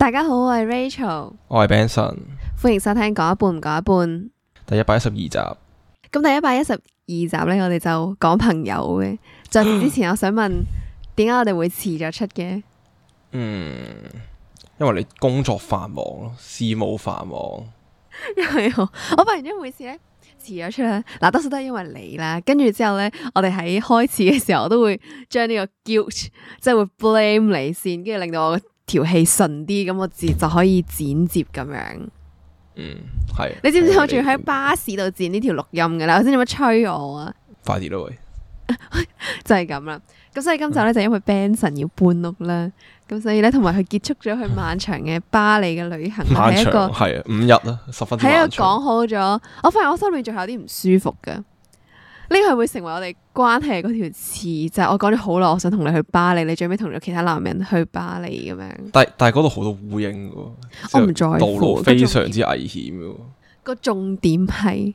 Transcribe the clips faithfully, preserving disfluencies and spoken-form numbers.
大家好，我係 Rachel，我係 Benson，歡迎收聽講一半唔講一半。第一百一十二集。咁第一百一十二集呢，我哋就講朋友嘅。在此之前，我想問，點解我哋會遲咗出嘅？嗯，因為你工作繁忙咯，事務繁忙。因為我我發現咗每次咧遲咗出咧，嗱多數都係因為你啦。跟住之後咧，我哋喺開始嘅時候，我都會將呢個 guilt 即係會 blame 你先，跟住令到我條氣順啲，咁我自就可以剪接咁樣。嗯，係。你知唔知我仲要喺巴士度剪呢條錄音噶啦？我先做乜催我啊？快啲咯喂！就係咁啦。咁所以今集咧就因為 Benson 要搬屋啦，咁所以咧同埋佢結束咗佢漫長嘅巴黎嘅旅行，漫長係一個係啊五日啦，十分之係一個漫長。講好咗。我發現我心裏仲有啲唔舒服噶，呢個係會成為我哋關係嗰條刺，就係、是、我講咗好耐，我想同你去巴黎，你最尾同咗其他男人去巴黎咁樣。但但係嗰度好多烏蠅噶，我唔在乎道路非常之危險噶。個重點係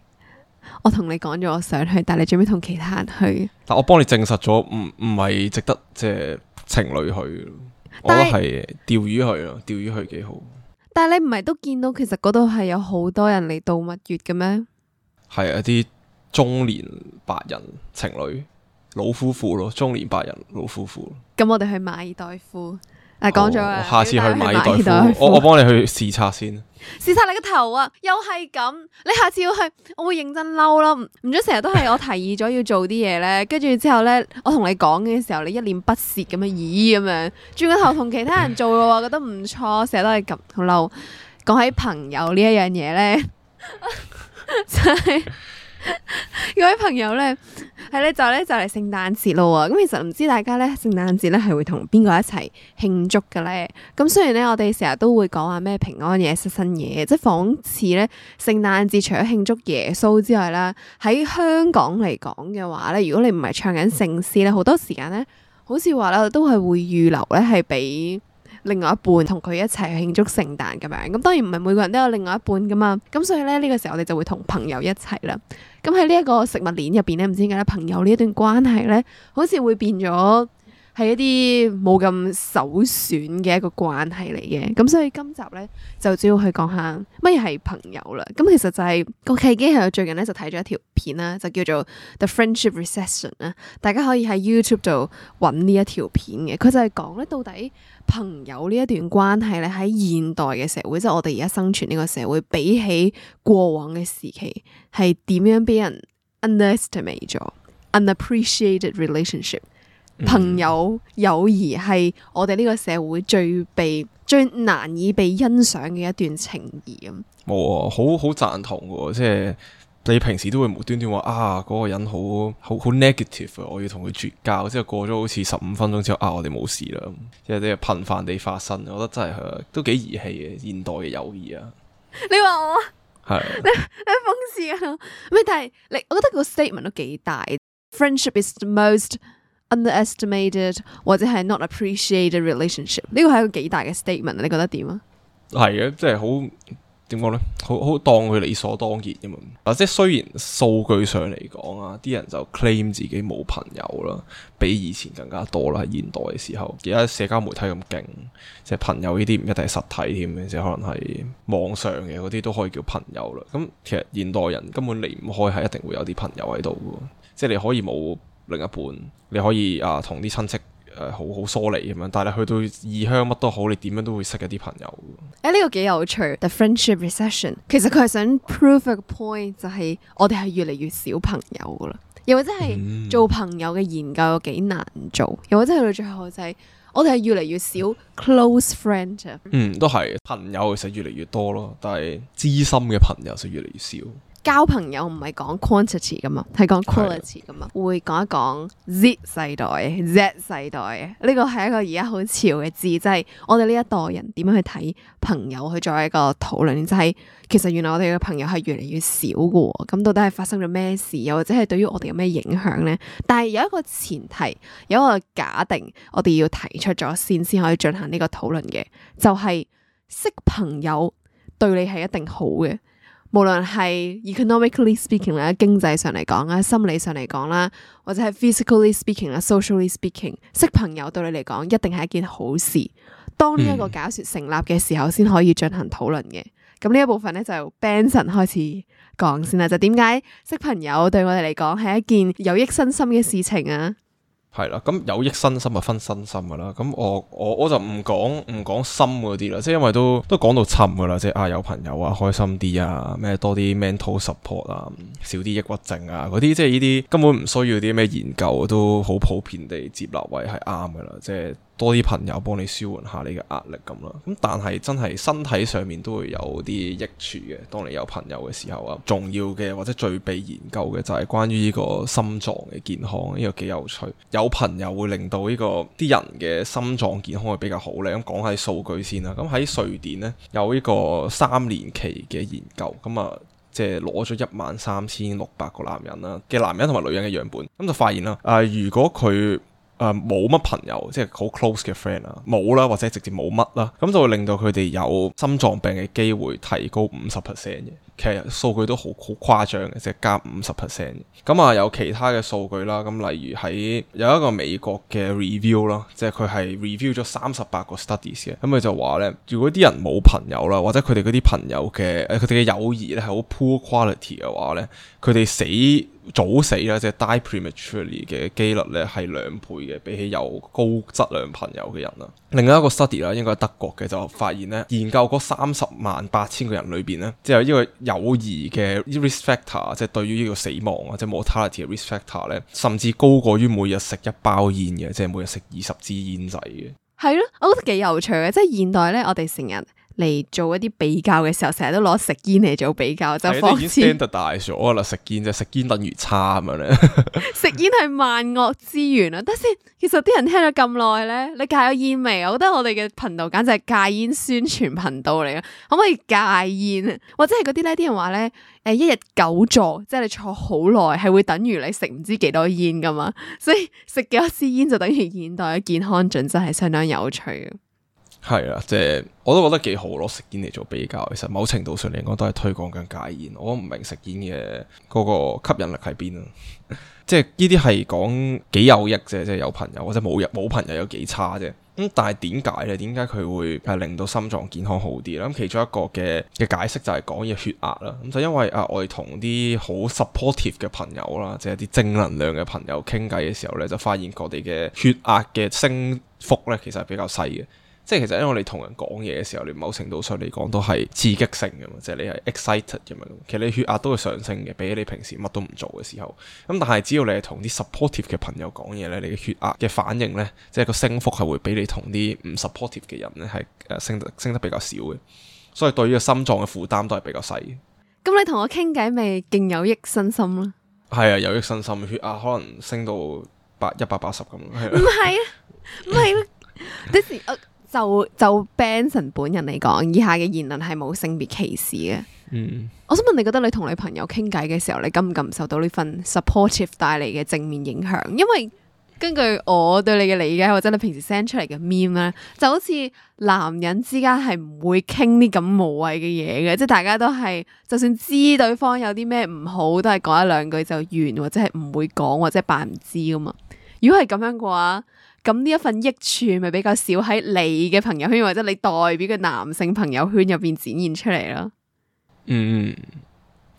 我同你講咗我想去，但係你最尾同其他人去。但我幫你證實咗，唔唔係值得即係情侶去。我覺得係釣魚去咯，釣魚去幾好。但係你唔係都見到其實嗰度係有好多人嚟度蜜月嘅咩？係一啲中年白人情侶老夫婦咯，中年白人老夫婦。咁我哋去馬爾代夫，誒講咗啦，下次去馬爾代夫，代夫我我幫你去視察先。視察你個頭啊！又係咁，你下次要去，我會認真嬲咯。唔准成日都係我提議咗要做啲嘢咧，跟住之後咧，我同你講嘅時候，你一臉不屑咁樣，咦咁樣，轉個頭同其他人做嘅話，覺得唔錯，成日都係咁好嬲。講起朋友呢一樣嘢咧，就係、是。各位朋友咧，係咧就咧就嚟聖誕節咯喎，咁其實唔知大家咧聖誕節咧係會同邊個一齊慶祝嘅咧？咁雖然咧我哋成日都會講話咩平安夜、失身夜，即係仿似咧聖誕節除咗慶祝耶穌之外啦，喺香港嚟講嘅話咧，如果你唔係唱緊聖詩咧，好多時間咧，好似話咧都係會預留咧係俾另外一半同佢一齊去慶祝聖誕咁樣。咁當然唔係每個人都有另外一半噶嘛，咁所以咧呢個時候我哋就會同朋友一齊啦。咁喺呢一個食物鏈入邊咧，唔知點解咧，朋友呢一段關係咧，好似會變咗係一啲冇咁首選嘅一個關係嚟嘅。咁所以今集咧就主要去講下乜嘢係朋友啦。咁其實就係、是、個契機係我最近咧就睇咗一條片啦，就叫做 The Friendship Recession 啦。大家可以喺 YouTube 度揾呢一條片嘅。佢就係講咧到底朋友呢一段關係咧喺現代嘅社會，即係我哋而家生存呢個社會，比起過往嘅時期係點樣俾人 underestimate 咗 unappreciated relationship。朋友友誼係我哋呢個社會最被最難以被欣賞嘅一段情誼咁。冇啊，好好贊同嘅，即係你平時都會無端端話啊嗰個人好好好 negative 啊，我要同佢絕交，之後過咗好似十五分鐘之後啊，我哋冇事啦，即係啲頻繁地發生，我覺得真係都幾兒戲嘅現代嘅友誼啊。你話我係你你諷刺啊？咩？但係你，我覺得個 statement 都幾大。Friendship is the most underestimated 或者係 not appreciated relationship， 呢個係一個幾大嘅 statement，你覺得點啊？係嘅，即係好點講呢？好好當佢理所當然咁嘛。啊，即係雖然數據上嚟講啊，啲人就 claim 自己冇朋友啦，比以前更加多啦。喺現代嘅時候，而家社交媒體咁勁，即係朋友呢啲唔一定係實體添嘅，即係可能係網上嘅嗰啲都可以叫朋友啦。咁其實現代人根本離唔開係一定會有啲朋友喺度嘅，即係你可以冇另一半，你可以啊同啲親戚誒、呃、好好疏離咁樣，但係你去到異鄉乜都好，你點樣都會識一啲朋友。誒、欸、呢、這個幾有趣 ，The Friendship Recession， 其實佢係想 prove 一個 point， 就係我哋係越嚟越少朋友噶啦，又或者係做朋友嘅研究有幾難做，又或者去到最後就係我哋係越嚟越少 close friend。嗯，都係朋友其實越嚟越多咯，但係知心嘅朋友就越嚟越少。交朋友唔係講 quantity 噶嘛，係講 quality 噶嘛。會講一講 Z 世代 Z 世代，呢個係一個而家好潮嘅字，即係我哋呢一代人點樣去睇朋友，去作為一個討論，就係其實原來我哋嘅朋友係越嚟越少嘅。咁到底係發生咗咩事，又或者係對於我哋有咩影響呢？但係有一個前提，有一個假定，我哋要提出咗先，先可以進行呢個討論嘅，就係識朋友對你係一定好嘅。無論係 economically speaking 啦，經濟上嚟講啦，心理上嚟講啦，或者係 physically speaking 啦，socially speaking，識朋友對你嚟講一定係一件好事。當呢一個假說成立嘅時候，先可以進行討論嘅。咁呢一部分咧就 Benson 開始講先啦，就點解識朋友對我哋嚟講係一件有益身心嘅事情啊？係啦，咁有益身心就分身心噶啦。咁我我我就唔講唔講心嗰啲啦，即係因為都都講到沉噶啦，即係啊有朋友啊開心啲啊，咩多啲 mental support 啊，少啲抑鬱症啊嗰啲，即係呢啲根本唔需要啲咩研究，都好普遍地接納為係啱噶啦，即係。多啲朋友幫你舒緩下你嘅壓力咁啦，咁但係真係身體上面都會有啲益處嘅。當你有朋友嘅時候啊，重要嘅或者最被研究嘅就係關於呢個心臟嘅健康，呢個幾有趣。有朋友會令到呢個啲人嘅心臟健康會比較好咧。咁講下數據先啦。咁喺瑞典呢，有呢個三年期嘅研究，咁啊即係攞咗一萬三千六百個男人啦嘅男人同埋女人嘅樣本，咁就發現啦，啊、呃、如果佢誒冇乜朋友，即係好 close 嘅 friend 啊，冇啦，或者直接冇乜啦，咁就會令到佢哋有心臟病嘅機會提高五十 percent 嘅。其實數據都好好誇張嘅，即係加五十 percent。咁啊有其他嘅數據啦，咁例如喺有一個美國嘅 review 啦，即係佢係 review 咗三十八個 studies 嘅，咁佢就話咧，如果啲人冇朋友啦，或者佢哋嗰啲朋友嘅誒佢哋嘅友誼咧係好 poor quality 嘅話咧，佢哋死早死啦，即係 die prematurely 嘅機率咧係兩倍嘅，比起有高質量朋友嘅人啦。另外一個 study 啦，應該係德國嘅，就發現咧，研究嗰三十萬八千個人裏邊咧，即係呢個友誼嘅 risk factor，即係對於呢個死亡啊，即係 mortality 嘅 risk factor 咧，甚至高過於每日食一包煙嘅，即係每日食二十支煙仔嘅。係咯，我覺得幾有趣嘅，即係現代咧，我哋成日嚟做一啲比較嘅時候，成日都攞食煙嚟做比較，就放已經 standardize 咗啦，食煙就食煙等於差咁樣咧。食煙係萬惡之源啊！等先，其實啲人聽咗咁耐咧，你戒咗煙未？我覺得我哋嘅頻道簡直係戒煙宣傳頻道嚟嘅，可唔可以戒煙？或者係嗰啲咧，啲人話咧，誒一日久坐，即係你坐好耐，係會等於你食唔知幾多煙噶嘛？所以食幾多支煙就等於現代嘅健康準則係相當有趣嘅。係啊，即係我都覺得幾好攞食煙嚟做比較，其實某程度上嚟講都係推廣緊戒煙。我唔明食煙嘅嗰個吸引力喺邊啊！即係呢啲係講幾有益啫，即係有朋友或者冇冇朋友有幾差啫。咁但係點解咧？點解佢會係令到心臟健康好啲咧？咁其中一個嘅嘅解釋就係講嘢血壓啦。咁就因為啊，我哋同啲好 supportive 嘅朋友啦，即係啲正能量嘅朋友傾偈嘅時候咧，就發現我哋嘅血壓嘅升幅咧，其實係比較細嘅。即係其實因為我哋同人講嘢嘅時候，你某程度上嚟講都係刺激性嘅嘛，即係你係 excited 咁樣。其實你血壓都會上升嘅，比起你平時乜都唔做嘅時候。咁但係只要你係同啲 supportive 嘅朋友講嘢咧，你嘅血壓嘅反應咧，即係個升幅係會比你同啲唔 supportive 嘅人咧係誒升得升得比較少嘅。所以對於個心臟嘅負擔都係比較細嘅。咁你同我傾偈咪勁有益身心咯？係啊，有益身心，血壓可能升到八一百八十咁。唔係啊，唔係啊，啲時我。就就 Benson 本人嚟講，以下嘅言論係冇性別歧視嘅。嗯，我想問你覺得你同你朋友傾偈嘅時候，你感唔感受到呢份 supportive 帶嚟嘅正面影響？因為根據我對你嘅理解，或者你平時 send 出嚟嘅 meme 咧，就好似男人之間係唔會傾啲咁無謂嘅嘢嘅，即係大家都係就算知對方有啲咩唔好，都係講一兩句就完，或者係唔會講，或者扮唔知噶嘛。如果係咁樣嘅話，咁呢一份益處咪比較少喺你嘅朋友圈或者你代表嘅男性朋友圈入邊展現出嚟咯。嗯，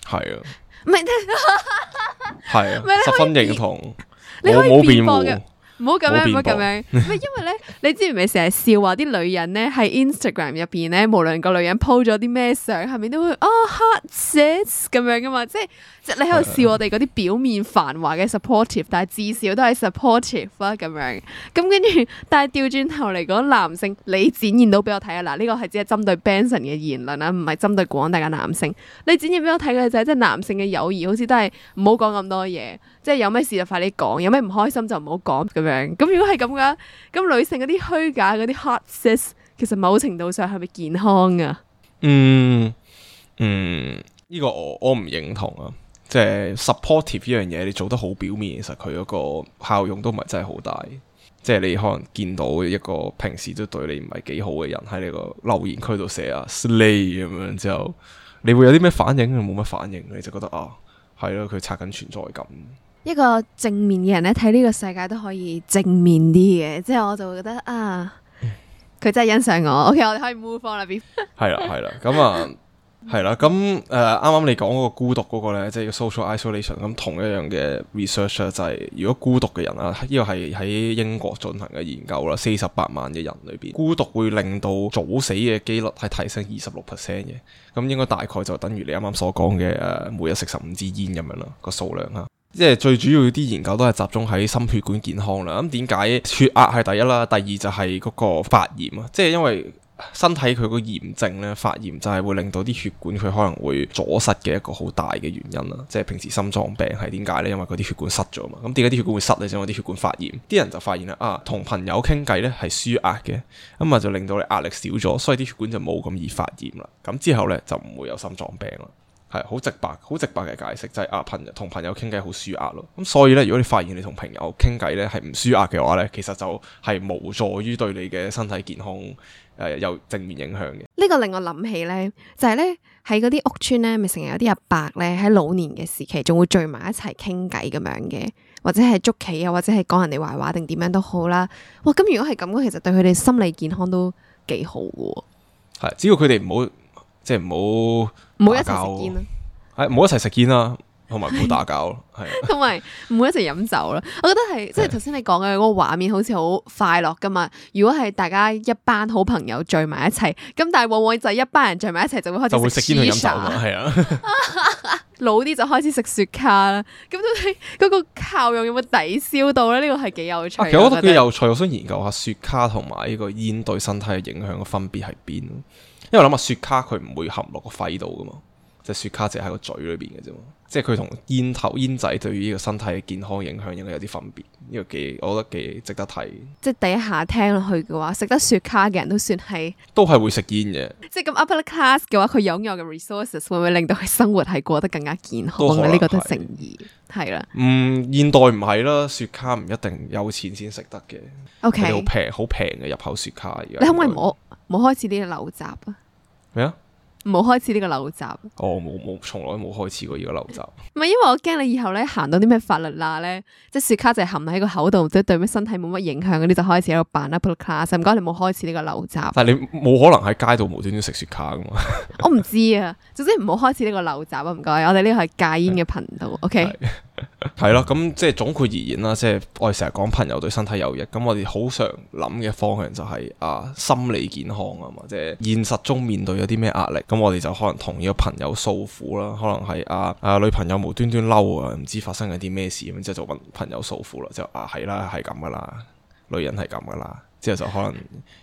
係啊，唔係，係啊，十分認同。你可以冇辯駁嘅。唔好咁樣，唔好咁樣。唔係因為咧，你知唔知成日笑話啲女人咧喺 Instagram 入邊咧，無論個女人 po 咗啲咩相，下面都會哦 hot sis 咁樣噶嘛，即係即係你喺度笑我哋嗰啲表面繁華嘅 supportive，但係至少都係 supportive 啦咁樣。咁跟住，但係調轉頭嚟講，男性你展現到俾我睇啊！嗱，呢個係只係針對 Benson 嘅言論啦，唔係針對廣大嘅男性。你展現俾我睇嘅就係即係男性嘅友誼，好似都係唔好講咁多嘢，即係有咩事就快啲講，有咩唔開心就唔好講咁樣。咁如果係咁嘅，咁女性嗰啲虛假嗰啲 hot sis，其實某程度上係咪健康啊？嗯嗯，呢個我我唔認同啊！即係 supportive 呢樣嘢，你做得好表面，其實佢嗰個效用都唔係真係好大。即係你可能見到一個平時都對你唔係幾好嘅人喺你個留言區度寫啊 slay 咁樣之後，你會有啲咩反應？冇乜反應，你就覺得啊，係咯，佢刷緊存在感。一個正面嘅人咧，睇呢個世界都可以正面啲嘅，即係我就會覺得啊，佢真係欣賞我。OK，我哋可以 move on 啦。係啦，係啦，咁啊。係啦，咁誒啱啱你講嗰個孤獨嗰個咧，即係 social isolation，咁同一樣嘅 research 咧，就係如果孤獨嘅人啊，呢個係喺英國進行嘅研究啦，四十八萬嘅人裏邊，孤獨會令到早死嘅機率係提升二十六 percent 嘅，咁應該大概就等於你啱啱所講嘅誒每日食十五支煙咁樣啦，個數量嚇。即係最主要啲研究都係集中喺心血管健康啦。咁點解血壓係第一啦？第二就係嗰個發炎啊，即係因為身體佢個炎症咧，發炎就係會令到啲血管佢可能會阻塞嘅一個好大嘅原因啦。即係平時心臟病係點解咧？因為嗰啲血管塞咗嘛。咁點解啲血管會塞咧？就因為啲血管發炎。啲人就發現啦，啊，同朋友傾偈咧係舒壓嘅，咁啊就令到你壓力少咗，所以啲血管就冇咁易發炎啦。咁之後咧就唔會有心臟病啦。係好直白，好直白嘅解釋就係、是、啊，朋友同朋友傾偈好舒壓咯。咁所以咧，如果你發現你同朋友傾偈咧係唔舒壓嘅話咧，其實就係無助於對你嘅身體健康誒、呃、有正面影響嘅。呢個令我諗起咧，就係咧喺嗰啲屋村咧，咪成日有啲阿伯咧喺老年嘅時期，仲會聚埋一齊傾偈咁樣嘅，或者係捉棋啊，或者係講人哋壞話定點樣都好啦。哇！咁如果係咁嘅，其實對佢哋心理健康都幾好嘅。係，只要佢哋唔好。即係唔好唔好一齊食煙啦，係唔好一齊食煙啦，同埋唔好打交咯，係同埋唔好一齊飲酒啦。我覺得係即係頭先你講嘅嗰個畫面，好似好快樂噶嘛。如果係大家一班好朋友聚埋一齊，咁但係往往就係一班人聚埋一齊就會開始就會食煙去飲酒嘛，係啊。老啲就開始食雪茄啦。咁到底嗰個效用有冇抵消到咧？呢個係幾有趣。其實我覺得幾有趣，我想研究下雪茄同埋呢個煙對身體嘅影響嘅分別喺邊。因為我諗下雪茄佢唔會含落個肺度噶嘛，即係雪茄淨係喺個嘴裏邊嘅啫嘛，即係佢同煙頭煙仔對於呢個身體嘅健康影響應該有啲分別，呢個幾我覺得幾值得睇。即係第一下聽落去嘅話，食得雪茄嘅人都算係都係會食煙嘅。即係咁 upper class 嘅話，佢擁有嘅 resources 會唔會令到佢生活係過得更加健康咧？呢個都成疑係啦。嗯，現代唔係啦，雪茄唔一定有錢先食得嘅。O K， 好平好平嘅入口雪茄而家。你可唔可以唔好唔好開始呢個陋習啊？咩啊？唔好開始呢個陋習。哦，冇冇，從來冇開始過呢個陋習。唔係，因為我驚你以後咧行到啲咩法律罅咧，即係雪茄就係含喺個口度，即係對咩身體冇乜影響嗰啲，就開始喺度扮 upper class。唔該，你冇開始呢個陋習。但係你冇可能喺街度無端端食雪茄噶嘛？我唔知啊，總之唔好開始呢個陋習啊！唔該，我哋呢個係戒煙嘅頻道。OK。係咯，咁即係總括而言啦，即係我哋成日講朋友對身體有益，咁我哋好常諗嘅方向就係、是、啊心理健康啊嘛，即係現實中面對有啲咩壓力，咁我哋就可能同呢個朋友訴苦啦，可能係啊啊女朋友無端端嬲啊，唔知發生緊啲咩事咁，之後就揾朋友訴苦啦，就啊係啦係咁噶啦，女人係咁噶啦，之後就可能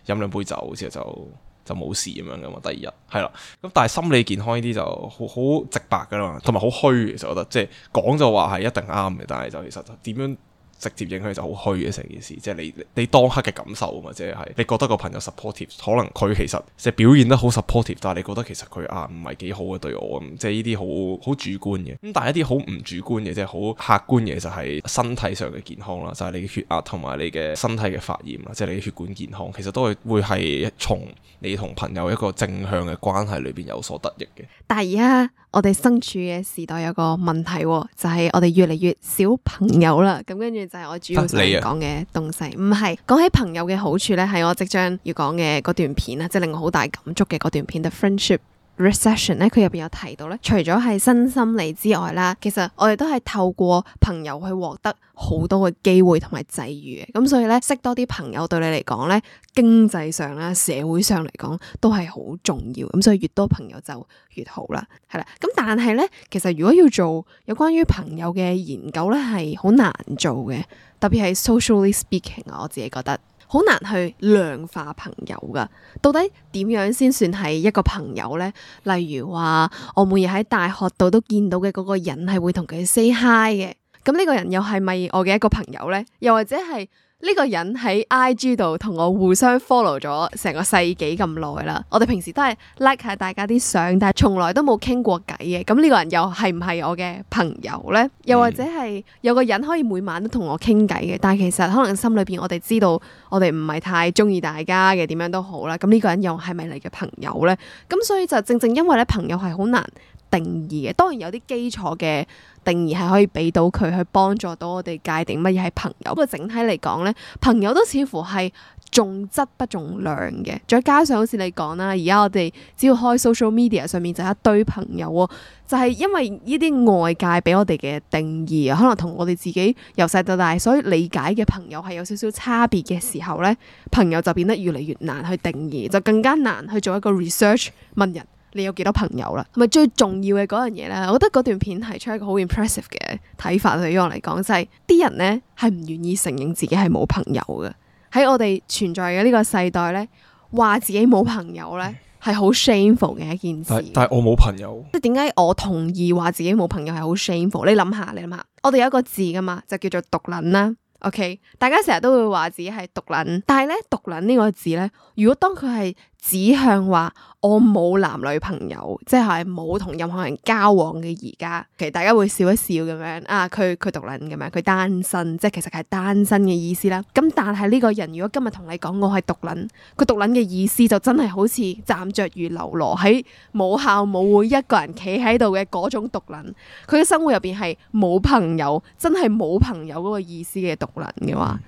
飲兩杯酒之後就。就冇事咁樣噶嘛，第二日係啦。咁但係心理健康呢啲就好好直白噶啦，同埋好虛。其實我覺得即係講就話係一定啱嘅，但係就其實點樣直接影響就好虛嘅成件事。即係你你當刻嘅感受啊嘛，即係你覺得個朋友 supportive， 可能佢其實即係表現得好 supportive， 但係你覺得其實佢啊唔係幾好嘅對我咁，即係呢啲好好主觀嘅。咁但係一啲好唔主觀嘅，即係好客觀嘅就係身體上嘅健康啦，就係、是、你嘅血壓同埋你嘅身體嘅發炎啦，即係你嘅血管健康，其實都係會係從你同朋友一個正向嘅關係裏邊有所得益嘅。但係而家我哋身處嘅時代有個問題，就係、是、我哋越嚟越少朋友啦。咁跟住就係我主要想講嘅東西。唔係講起朋友嘅好處咧，係我即將要講嘅嗰段片啦，即係令我好大感觸嘅嗰段片 The Friendship Recession 咧，佢入邊有提到咧，除咗係新心理之外啦，其實我哋都係透過朋友去獲得好多嘅機會同埋際遇嘅。咁所以咧，識多啲朋友對你嚟講咧，經濟上啦、社會上嚟講都係好重要。咁所以越多朋友就越好啦，係啦。咁但係咧，其實如果要做有關於朋友嘅研究咧，係好難做嘅，特別係 socially speaking 啊，我自己覺得。好難去量化朋友噶，到底點樣先算係一個朋友呢？例如話，我每日喺大學度都見到嘅嗰個人係會同佢 say hi 嘅，咁呢個人又係咪我嘅一個朋友呢？又或者係呢個人喺 I G 度同我互相 follow 咗成個世紀咁耐啦，我哋平時都係 like 下大家啲相，但係從來都冇傾過偈嘅。咁呢個人又係唔係我嘅朋友呢？又或者係有個人可以每晚都同我傾偈嘅，但係其實可能心裏邊我哋知道我哋唔係太中意大家嘅，點樣都好啦。咁呢個人又係咪你嘅朋友呢？咁所以就正正因為咧，朋友係好難定義嘅，當然有啲基礎嘅定義係可以俾到佢去幫助到我哋界定乜嘢係朋友。不過整體嚟講咧，朋友都似乎係重質不重量嘅。再加上好似你講啦，而家我哋只要開 social media 上面就一堆朋友喎，就係因為呢啲外界俾我哋嘅定義啊，可能同我哋自己由細到大所以理解嘅朋友係有少少差別嘅時候咧，朋友就變得越嚟越難去定義，就更加難去做一個 research 問人。你有幾多朋友啦？同埋最重要嘅嗰樣嘢咧，我覺得嗰段片提出一個好 impressive 嘅睇法，對於我嚟講就係、是、啲人咧係唔願意承認自己係冇朋友嘅。喺我哋存在嘅呢個世代咧，話自己冇朋友咧係好 shameful 嘅一件事。但係我冇朋友，即係點解我同意話自己冇朋友係好 shameful？你諗下，你諗下，我哋有一個字噶嘛，就叫做獨撚啦。OK， 大家成日都會話自己係獨撚，但係咧獨撚呢個字咧，如果當佢係指向話我冇男女朋友，即係冇同任何人交往嘅而家，其實大家會笑一笑咁樣啊，佢佢獨撚咁樣，佢單身，即係其實係單身嘅意思啦。咁但係呢個人如果今日同你講我係獨撚，佢獨撚嘅意思就真係好似站着如嘍囉喺母校母會一個人企喺度嘅嗰種獨撚，佢嘅生活入邊係冇朋友，真係冇朋友嗰個意思嘅獨撚嘅話。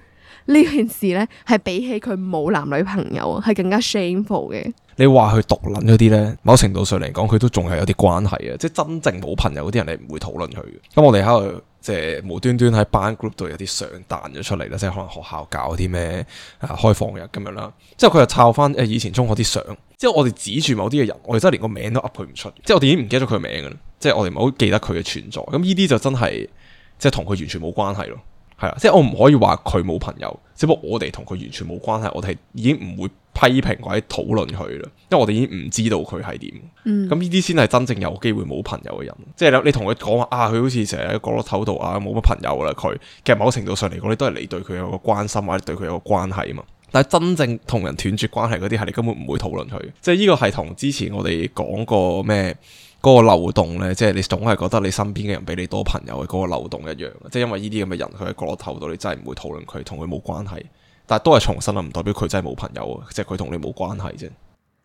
呢件事咧係比起佢冇男女朋友係更加 shameful 嘅。你話佢獨撚嗰啲咧，某程度上嚟講，佢都仲係有啲關係嘅，即係真正冇朋友嗰啲人，你唔會討論佢嘅。咁我哋喺度即係無端端喺班 group 度有啲相彈咗出嚟啦，即係可能學校搞啲咩啊開放日咁樣啦。之後佢又抄翻誒以前中學啲相，之後我哋指住某啲嘅人，我哋真係連個名都噏佢唔出，即係我哋已經唔記得咗佢嘅名噶啦，即係我哋唔係好記得佢嘅存在。咁呢啲就真係即係同佢完全冇關係咯。係啦，即係我唔可以話佢冇朋友，只不過我哋同佢完全冇關係，我哋已經唔會批評或者討論佢啦，因為我哋已經唔知道佢係點。咁呢啲先係真正有機會冇朋友嘅人。即係你同佢講話啊，佢好似成日喺角落頭度啊，冇乜朋友啦。佢其實某程度上嚟講，你都係你對佢有個關心或者對佢有個關係啊嘛。但係真正同人斷絕關係嗰啲，係你根本唔會討論佢。即係呢個係同之前我哋講過咩？嗰個漏洞咧，即係你總係覺得你身邊嘅人比你多朋友嘅嗰個漏洞一樣，即係因為呢啲咁嘅人，佢喺角落頭度，你真係唔會討論佢，同佢冇關係。但係都係重申啦，唔代表佢真係冇朋友啊，即係佢同你冇關係啫。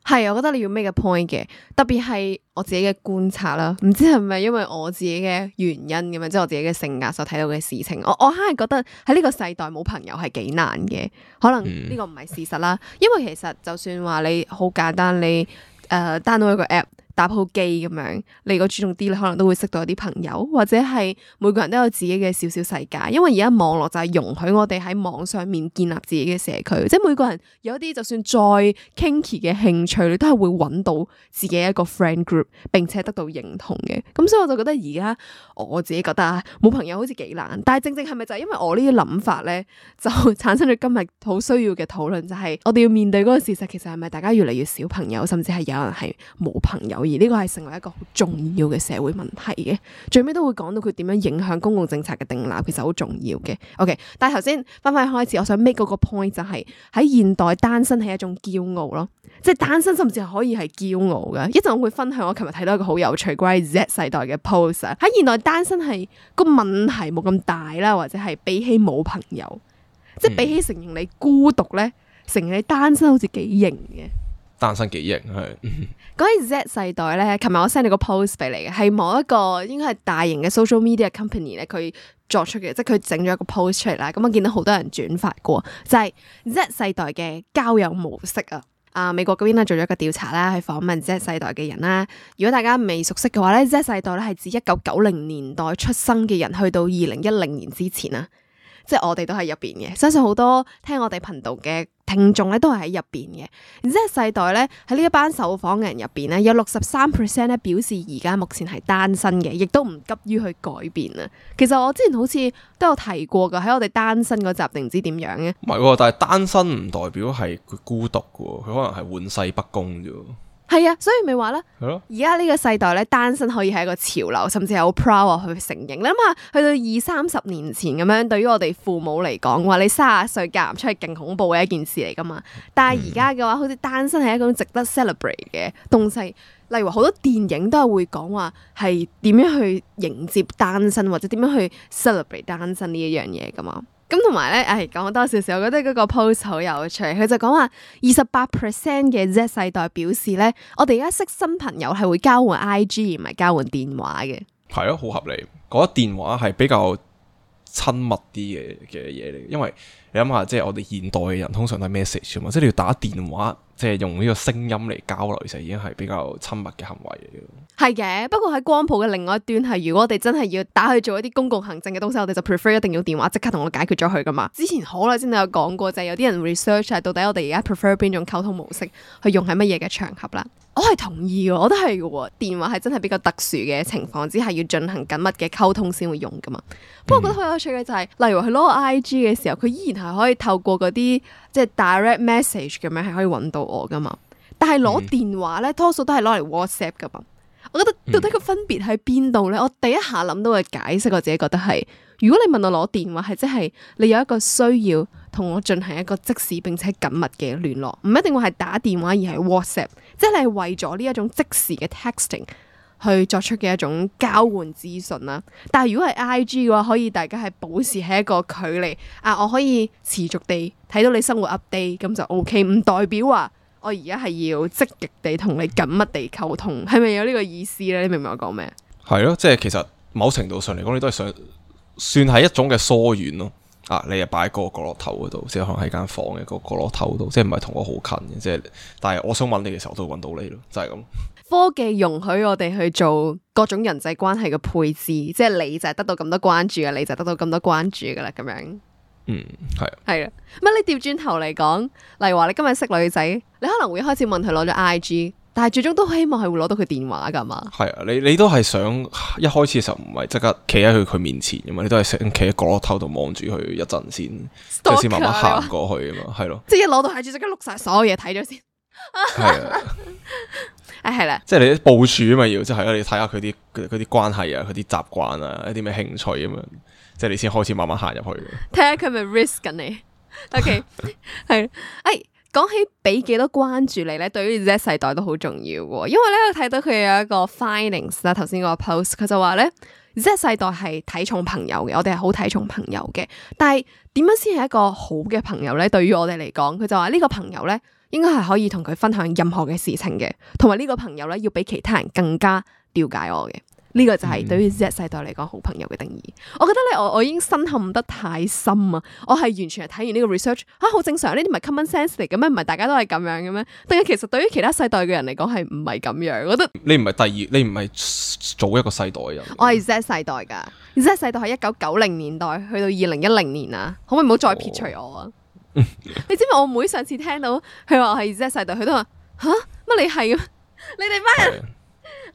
係，我覺得你要 make 個 point 嘅，特別係我自己嘅觀察啦，唔知係咪因為我自己嘅原因咁樣，即係我自己嘅性格所睇到嘅事情，我我係覺得喺呢個世代冇朋友係幾難嘅，可能呢個唔係事實啦，嗯、因為其實就算話你好簡單，你誒、呃、download 一個 app。打鋪機咁樣，你如果注重啲，你可能都會識到一啲朋友，或者係每個人都有自己嘅小小世界。因為而家網絡就係容許我哋喺網上面建立自己嘅社區，即係每個人有一啲就算再 kinky 嘅興趣，你都係會揾到自己一個 friend group，並且得到認同嘅。咁所以我就覺得而家我自己覺得啊，冇朋友好似幾難。但係正正係咪就係因為我呢啲諗法咧，就產生咗今日好需要嘅討論，就係我哋要面對嗰個事實，其實係咪大家越嚟越少朋友，甚至係有人係冇朋友？而呢個係成為一個好重要嘅社會問題嘅，最尾都會講到佢點樣影響公共政策嘅定立，其實好重要嘅。OK， 但係頭先翻返去開始，我想 make 嗰個 point 就係喺現代單身係一種驕傲咯，即係單身甚至係可以係驕傲嘅。一陣我會分享我琴日睇到一個好有趣關於 Z 世代嘅 post， 喺現代單身係個問題冇咁大啦，或者係比起冇朋友，嗯、即係比起承認你孤獨咧，承認你單身好似幾型嘅。單身幾型係，講起 Z 世代咧，琴日我 send 你個 post 俾你嘅，係某一個應該係大型嘅 social media company 咧，佢作出嘅，即係佢整咗一個 post 出嚟啦。咁我見到好多人轉發過，就係、是、Z 世代嘅交友模式啊。啊，美國嗰邊咧做咗一個調查啦，去訪問 Z 世代嘅人啦。如果大家未熟悉嘅話咧 ，Z 世代咧係指一九九零年代出生嘅人，去到二零一零年之前啊。即係我哋都喺入邊嘅，相信好多聽我哋頻道嘅聽眾咧都係喺入邊嘅。然之後世代咧喺呢一班受訪嘅人入邊咧，有六十三 percent 咧表示而家目前係單身嘅，亦都唔急於去改變啊。其實我之前好似都有提過噶，喺我哋單身嗰集定唔知點樣嘅。唔係喎，但係單身唔代表係佢孤獨嘅，佢可能係玩世不恭啫。係係啊，所以咪話啦，係咯，而家呢個世代咧，單身可以係一個潮流，甚至係好 proud 去承認。你諗下，去到二三十年前咁樣，對於我哋父母嚟講，話你卅啊歲嫁唔出去，勁恐怖嘅一件事嚟噶嘛。但係而家嘅話，好似單身係一種值得 celebrate 嘅東西。例如話好多電影都係會講話係點樣去迎接單身，或者點樣去 celebrate 單身呢一樣嘢噶嘛。咁同埋咧，誒講多少少，我覺得嗰個 post 好有趣。佢就講話二十八 percent 嘅 Z 世代表示咧，我哋而家識新朋友係會交換 I G 而唔係交換電話嘅。係咯，好合理。覺得電話係比較親密啲嘅嘅嘢嚟，因為你諗下，即係我哋現代嘅人通常都係 message 啊嘛，即係你要打電話，即係用呢個聲音嚟交流，其實已經係比較親密嘅行為嚟嘅。係嘅，不過喺光譜嘅另外一端係，如果我哋真係要打去做一啲公共行政嘅東西，我哋就 prefer 一定要電話即刻同我解決咗佢噶嘛。之前好耐先都有講過，就係有啲人 research 係到底我哋而家 prefer 邊種溝通模式去用喺乜嘢嘅場合啦。我係同意嘅，我都係嘅。電話係真係比較特殊嘅情況之下要進行緊密嘅溝通先會用噶嘛。不過我覺得好有趣嘅就係、是，例如佢攞個 I G 嘅時候，佢依然係可以透過嗰啲即係 direct message 咁樣係可以揾到我噶嘛。但係攞電話咧，多數都係攞嚟 WhatsApp 噶嘛。我覺得到底個分別喺邊度咧？我第一下諗到嘅解釋，我自己覺得係，如果你問我攞電話，係即係你有一個需要同我進行一個即時並且緊密嘅聯絡，唔一定話係打電話而係 WhatsApp，即係你係為咗呢一種即時嘅 texting 去作出嘅一種交換資訊啦。但係如果係 I G 嘅話，可以大家係保持喺一個距離啊，我可以持續地睇到你生活 update，咁就 OK，唔代表話我而家係要積極地同你緊密地溝通，係咪有呢個意思咧？你明唔明我講咩？係咯，即係其實某程度上嚟講，你都係想算係一種嘅疏遠咯。啊，你又擺喺個角落頭嗰度，即係可能喺間房嘅個角落頭度，即係唔係同我好近嘅，即係。但係我想揾你嘅時候，都會揾到你咯，就係咁。科技容許我哋去做各種人際關係嘅配置，即係你就係得到咁多關注嘅，你就得到咁多關注噶啦，咁樣。嗯，係啊，係啊，乜你調轉頭嚟講，例如話你今日識女仔，你可能會開始問佢攞咗 I G， 但係最終都希望係會攞到佢電話噶嘛？係啊，你你都係想一開始嘅時候唔係即刻企喺佢佢面前噶嘛？你都係想企喺角落頭度望住佢一陣先，跟住先慢慢行過去啊嘛，係咯。即係一攞到 I G 即刻錄晒所有嘢睇咗先。係啊，啊係啦，即係你啲部署啊嘛，要即係你睇下佢啲佢啲關係啊，佢啲習慣啊，一啲咩興趣咁樣。即係你先開始慢慢行入去，睇下佢咪 risk 緊你。OK， 係，誒，講起俾幾多關注你咧，對於 Z 世代都好重要嘅。因為咧，我睇到佢有一個 findings 啦，頭先嗰個 post，佢就話咧 Z 世代係睇重朋友嘅，我哋係好睇重朋友嘅。但係點樣先係一個好嘅朋友咧？對於我哋嚟講，佢就話呢個朋友咧，應該係可以同佢分享任何嘅事情嘅，同埋呢個朋友咧，要比其他人更加了解我嘅。呢個就係對於 Z 世代嚟講好朋友嘅定義。我覺得咧，我我已經深陷得太深啊！我係完全係睇完呢個 research 嚇，好正常，呢啲唔係 common sense 嚟嘅咩？唔係大家都係咁樣嘅咩？定係其實對於其他世代嘅人嚟講係唔係咁樣？我覺得你唔係第二，你唔係早一個世代嘅人。我係 Z 世代㗎，Z 世代係一九九零年代去到二零一零年啊，可唔可以唔好再撇除我啊？哦、你知唔知我妹上次聽到佢話我係 Z 世代，佢都話吓？乜你係啊？你哋班人。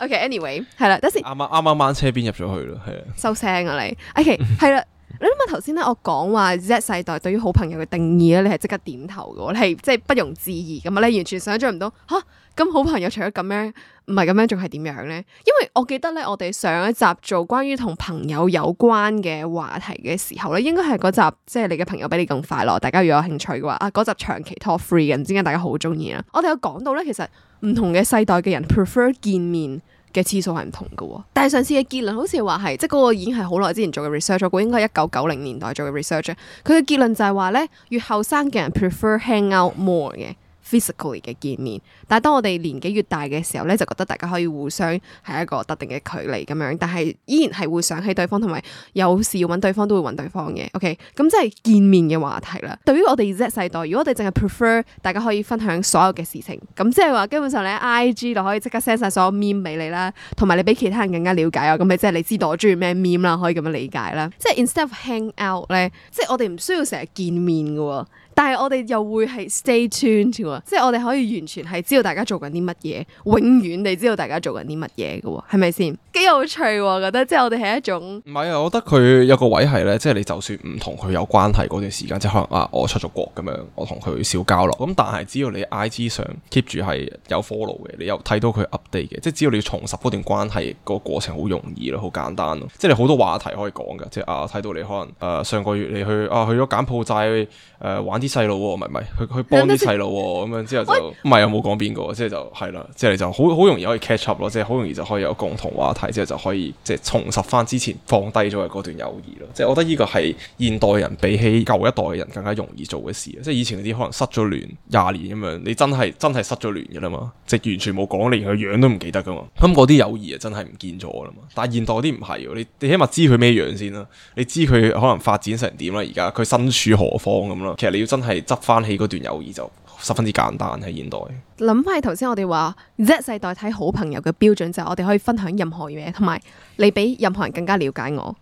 OK，anyway，、okay，係啦，等先。啱啱啱啱掹車邊入咗去啦，係啊。收聲啊你。OK，係啦。你諗下頭先咧，我講話 Z 世代對於好朋友嘅定義咧，你係即刻點頭嘅，你係即係不容置疑咁啊！你完全想象唔到吓，咁好朋友除咗咁樣，唔係咁樣，仲係點樣咧？因為我記得咧，我哋上一集做關於同朋友有關嘅話題嘅時候咧，應該係嗰集即係你嘅朋友比你更快樂。大家如果有興趣嘅話，啊嗰集長期 top three 嘅，唔知點解大家好中意啦。我哋有講到咧，其實唔同嘅世代嘅人 prefer 見面嘅次數係唔同嘅，但係上次嘅結論好似話係，即係嗰個已經係好耐之前做嘅 research，我估應該係一九九零年代做嘅 research。佢嘅結論就係話咧，越後生嘅人 prefer hang out more 嘅 physically 嘅見面，但係當我哋年紀越大嘅時候咧，就覺得大家可以互相係一個特定嘅距離咁樣，但係依然係會想起對方，同埋有時要揾對方都會揾對方嘅。OK，咁即係見面嘅話題啦。對於我哋 Z 世代，如果我哋淨係 prefer 大家可以分享所有嘅事情，咁即係話基本上你喺 I G 就可以即刻 send 晒所有 meme 俾你啦，同埋你比其他人更加了解我，咁你即係你知道我中意咩 meme 啦，可以咁樣理解啦。即係 instead of hang out 咧，即係我哋唔需要成日見面嘅。但係我哋又會係 stay tuned 喎，即係我哋可以完全係知道大家做緊啲乜嘢，永遠地知道大家做緊啲乜嘢嘅喎，係咪先？幾有趣喎，我覺得即係我哋係一種唔係啊，我覺得佢有個位係咧，即係你就算唔同佢有關係嗰段時間，即係可能啊，我出咗國咁樣，我同佢少交流，咁但係只要你 I G 上 keep 住係有 follow 嘅，你又睇到佢 update 嘅，即係只要你要重拾嗰段關係，個過程好容易咯，好簡單咯，即係你好多話題可以講㗎，即係啊睇到你可能誒、呃、上個月你去啊去咗柬埔寨誒、呃、玩啲細路喎，唔係唔係去去幫啲細路喎，咁樣之後就唔係有冇講邊個，即係就係啦，即係你就好好容易可以 catch up 咯，即係好容易就可以有共同話題，之後就可以即係重拾翻之前放低咗嘅嗰段友誼咯。即係我覺得呢個係現代人比起舊一代嘅人更加容易做嘅事。即係以前嗰啲可能失咗聯廿年咁樣，你真係真係失咗聯嘅啦嘛，即係完全冇講，連佢樣都唔記得噶嘛。咁嗰啲友誼啊真係唔見咗啦嘛。但係現代嗰啲唔係喎，你你起碼知佢咩樣先啦，你知佢可能發展成點啦，而家佢身處何方咁啦。其實你要真係執翻起嗰段友誼就十分之簡單喺現代。諗翻起頭先我哋話 Z 世代睇好朋友嘅標準就係我哋可以分享任何嘢，同埋你比任何人更加了解我。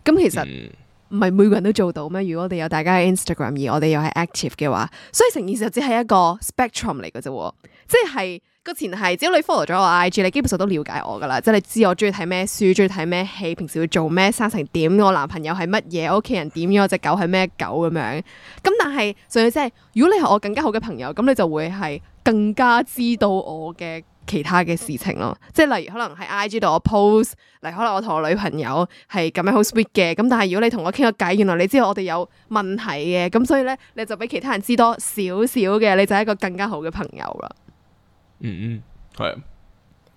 咁其實唔係每個人都做到咩？如果我哋有大家嘅 Instagram 而我哋又係 active 嘅話，所以成件事就只係一個 spectrum 嚟嘅啫。即係個前提，只要你 follow 咗我 I G， 你基本上都了解我噶啦。即係你知我中意睇咩書，中意睇咩戲，平時會做咩，生成點，我男朋友係乜嘢，我屋企人點樣，我隻狗係咩狗咁樣。咁但係，所以即係如果你係我更加好嘅朋友，咁你就會係更加知道我嘅其他嘅事情咯。即係例如可能喺 I G 度我 post，例如可能我同我女朋友係咁樣好 sweet 嘅。咁但係如果你同我傾個偈，原來你知道我哋有問題嘅，咁所以咧你就比其他人知多少少嘅，你就係一個更加好嘅朋友啦。嗯嗯，係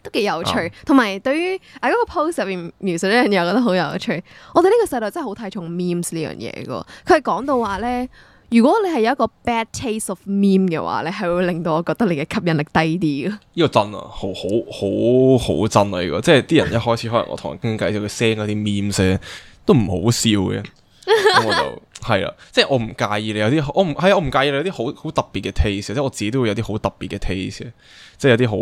都幾有趣，同埋、啊、對於啊嗰、那個 post 入邊描述呢樣嘢，我覺得好有趣。我哋呢個世代真係好睇重 memes 呢樣嘢噶。佢係講到話咧，如果你係有一個 bad taste of meme 嘅話咧，係會令到我覺得你嘅吸引力低啲噶。呢個真啊，好好好好真啊！呢、這個即係啲人一開始可能我同人傾偈，就佢 send 嗰啲 memes 咧都唔好笑嘅。咁我就係啦，即係我唔介意你有啲，我唔係啊，我唔介意你有啲好好特別嘅 taste，即係我自己都會有啲好特別嘅 taste，即係有啲好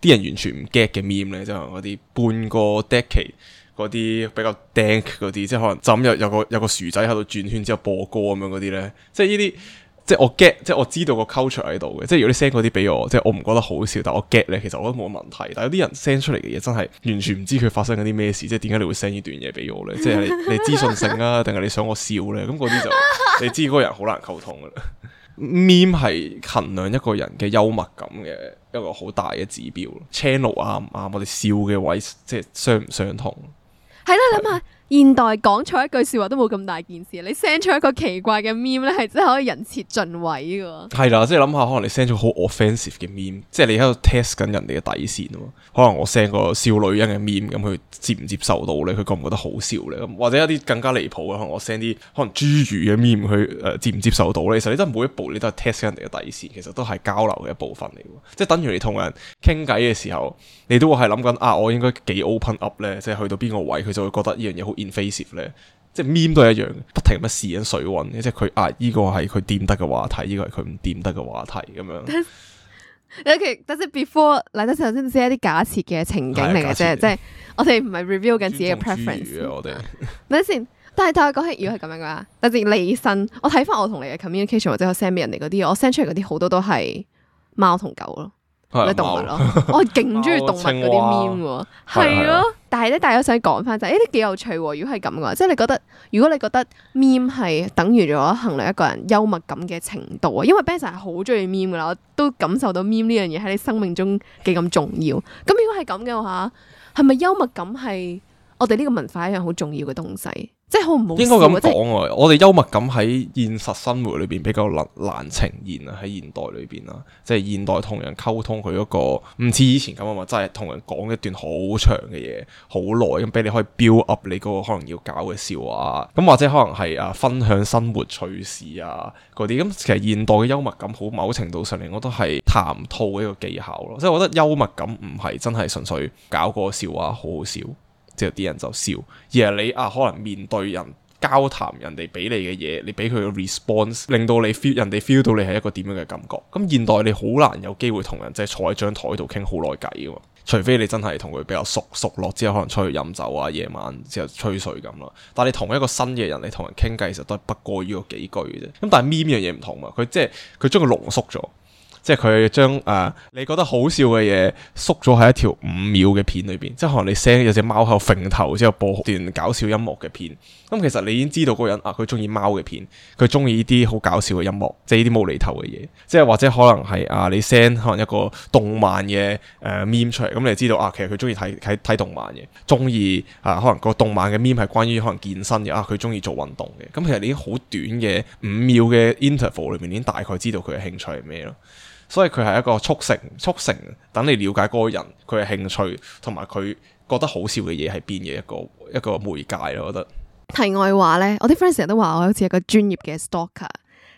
啲人完全唔 get 嘅 meme 咧，即係嗰啲半個 decade 嗰啲比較 dank 嗰啲，即係可能就咁有有個有個薯仔喺度轉圈之後播歌咁樣嗰啲咧，即係呢啲。即係我 get，即係我知道個 culture 喺度嘅。即係如果你 send 嗰啲俾我，即係我唔覺得好笑，但我 get 咧，其實我覺得冇乜問題。但係有啲人 send 出嚟嘅嘢真係完全唔知佢發生緊啲咩事，即係點解你會 send 呢段嘢俾我咧？即係你你資訊性啊，定係你想我笑咧？咁嗰啲就你知嗰個人好難溝通噶啦。meme 係衡量一個人嘅幽默感嘅一個好大嘅指標。channel 啱唔啱？我哋笑嘅位即係相唔相同？係啦，諗下。現代講錯一句說話都冇咁大件事，你 send 出一個奇怪嘅 meme 咧，係真係可以人設盡毀嘅。係啦，即係諗下，可能你 send 咗好 offensive 嘅 meme，即係你喺度 test 緊人哋嘅底線啊嘛。可能我 send 個少女人嘅 meme，咁佢接唔接受到咧？佢覺唔覺得好笑咧？咁或者一啲更加離譜嘅，可能我 send 啲可能侏儒嘅 meme，佢誒接唔接受到咧？其實你真係每一步你都係 test 人哋嘅底線，其實都係交流嘅一部分嚟嘅。即係等於你同人傾偈嘅時候，你都會係諗緊啊，我應該幾 open up 咧？即係去到邊個位，佢就會覺得呢樣嘢好invasive 咧，即係 meme 都係一樣，不停咁試緊水溫，即係佢啊，依、這個係佢掂得嘅話題，依、這個係佢唔掂得嘅話題咁樣。OK，但係 before 嚟得頭先只係一啲假設嘅情景嚟嘅啫，即係我哋唔係 review 緊自己嘅 preference。我哋等先，但係但係講起如果係咁樣嘅話，等陣你身，我睇翻我同你嘅 communication 或者我 send 俾人哋嗰啲，我 send 出嚟嗰啲好多都係貓同狗咯。啲動物咯，我係勁中意動物嗰啲 meme 喎，係咯。但係咧，大家想講翻就係，誒，啲幾有趣喎。如果係咁嘅話，即係你覺得，如果你覺得 meme 係等於咗衡量一個人幽默感嘅程度啊，因為 Benson 係好中意 meme 噶啦，我都感受到 meme 呢樣嘢喺你生命中幾咁重要。咁如果係咁嘅話，係咪幽默感係我哋呢個文化一樣好重要嘅東西？即係好唔好笑？應該咁講啊！我哋幽默感喺現實生活裏邊比較難難呈現啊，喺現代裏邊啊，即係現代同人溝通佢嗰個唔似以前咁啊嘛，真係同人講一段好長嘅嘢，好耐咁俾你可以 build up 你嗰個可能要搞嘅笑話，咁或者可能係啊分享生活趣事啊嗰啲，咁其實現代嘅幽默感好某程度上嚟，我都係談吐嘅一個技巧咯，即係我覺得幽默感唔係真係純粹搞個笑話好好笑。之後啲人就笑，而係你啊，可能面對人交談，人哋俾你嘅嘢，你俾佢嘅 response，令到你 feel 人哋 feel 到你係一個點樣嘅感覺。咁現代你好難有機會同人即係坐喺張台度傾好耐偈噶嘛，除非你真係同佢比較熟熟絡之後，可能出去飲酒啊，夜晚之後吹水咁啦。但係你同一個新嘅人，你同人傾偈，其實都係不過於個幾句嘅啫。咁但係 meme 呢樣嘢唔同嘛，佢即係佢將佢濃縮咗。即係佢將誒你覺得好笑嘅嘢縮咗喺一條五秒嘅片裏邊，即係可能你 send 有隻貓喺度揈頭之後播段搞笑音樂嘅片，咁其實你已經知道嗰個人啊，佢中意貓嘅片，佢中意呢啲好搞笑嘅音樂，即係呢啲無厘頭嘅嘢，即係或者可能係啊你 send 可能一個動漫嘅誒、呃、meme 出嚟，咁你就知道啊其實佢中意睇睇睇動漫嘅，中意啊可能個動漫嘅 meme 係關於可能健身嘅，啊佢中意做運動嘅，咁其實你已經好短嘅五秒嘅 interval 裏面已經大概知道佢嘅興趣係咩咯。所以佢係一個促成促成等你了解嗰個人佢嘅興趣同埋佢覺得好笑嘅嘢係邊嘅一個一個媒介咯，我覺得。題外話咧，我啲 friend 成日都話我好似一個專業嘅 stalker，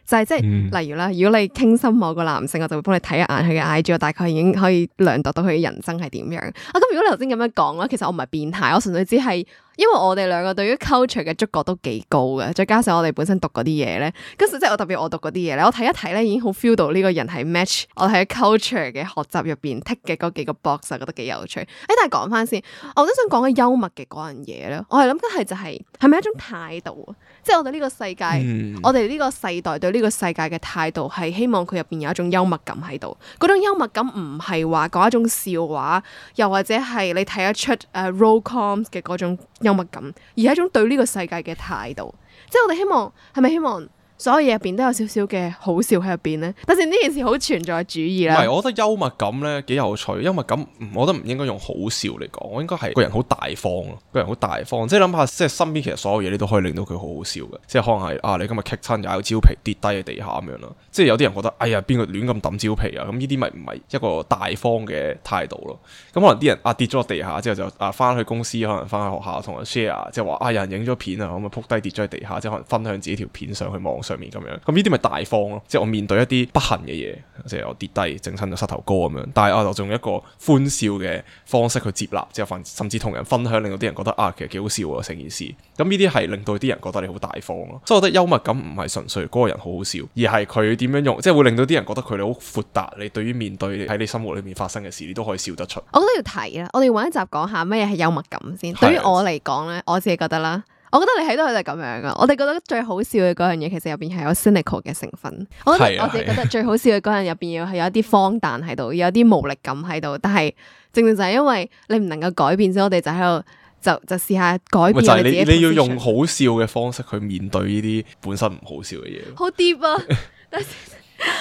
就係即係、嗯、例如啦，如果你傾心某個男性，我就會幫你睇一眼佢嘅 I G， 我大概已經可以量度到佢嘅人生係點樣。啊，咁如果你頭先咁樣講咧，其實我唔係變態，我純粹只係。因為我哋兩個對於 culture 嘅觸覺都幾高嘅，再加上我哋本身讀嗰啲嘢咧，跟住即係我特別我讀嗰啲嘢咧，我睇一睇咧已經好 feel 到呢個人係 match 我喺 culture 嘅學習入邊 tick 嘅嗰幾個 box，我覺得幾有趣。誒，但係講翻先，我都想講嘅幽默嘅嗰樣嘢咧，我係諗緊係就係係咪一種態度啊？即係我哋呢個世界，嗯、我哋呢個世代對呢個世界嘅態度係希望佢入邊有一種幽默感喺度。嗰種幽默感唔係話講一種笑話，又或者係你睇得出誒、uh, rom-com 嘅嗰種幽默感，而係一種對呢個世界嘅態度。即係我哋希望，係咪希望所有嘢入邊都有少少嘅好笑喺入邊咧？但是呢件事好存在主義啦。唔係，我覺得幽默感咧幾有趣。幽默感，我覺得唔應該用好笑嚟講，我應該係個人好大方咯。個人好大方，即係諗下，即係身邊其實所有嘢你都可以令到佢好好笑嘅。即係可能係啊，你今日棘親踩到蕉皮跌低喺地下咁樣咯。即係有啲人覺得，哎呀，邊個亂咁抌蕉皮啊？咁呢啲咪唔係一個大方嘅態度咯。咁可能啲人啊跌咗落地下之後就啊翻去公司，可能翻去學校同人 share，即係話啊有人影咗片啊，咁啊撲低跌咗喺地下，即係可能分享自己條片上去網上面咁樣。咁呢啲咪大方咯。即係我面對一啲不幸嘅嘢，即係我跌低整親咗膝頭哥咁樣，但係我就用一個歡笑嘅方式去接納，之後甚至同人分享，令到啲人覺得啊其實幾好笑啊成件事。咁呢啲係令到啲人覺得你好大方咯。所以我覺得幽默感唔係純粹嗰個人好好笑，而係佢點樣用，即係會令到啲人覺得佢哋好闊達。你對於面對喺你生活裏面發生嘅事，你都可以笑得出。我覺得要提啦，我哋揾一集講下乜嘢係幽默感先。對於我嚟講咧，我自己覺得啦，我覺得你睇到佢就係咁樣噶。我哋覺得最好笑嘅嗰樣嘢，其實入邊係有 cynical 嘅成分。我覺得我自己覺得最好笑嘅嗰樣入邊要係有一啲荒誕喺度，有啲無力感喺度。但係正正就係因為你唔能夠改變，所以我哋就喺度就就試下改變我哋自己。你你要用好笑嘅方式去面對呢啲本身唔好笑嘅嘢。好 deep 啊！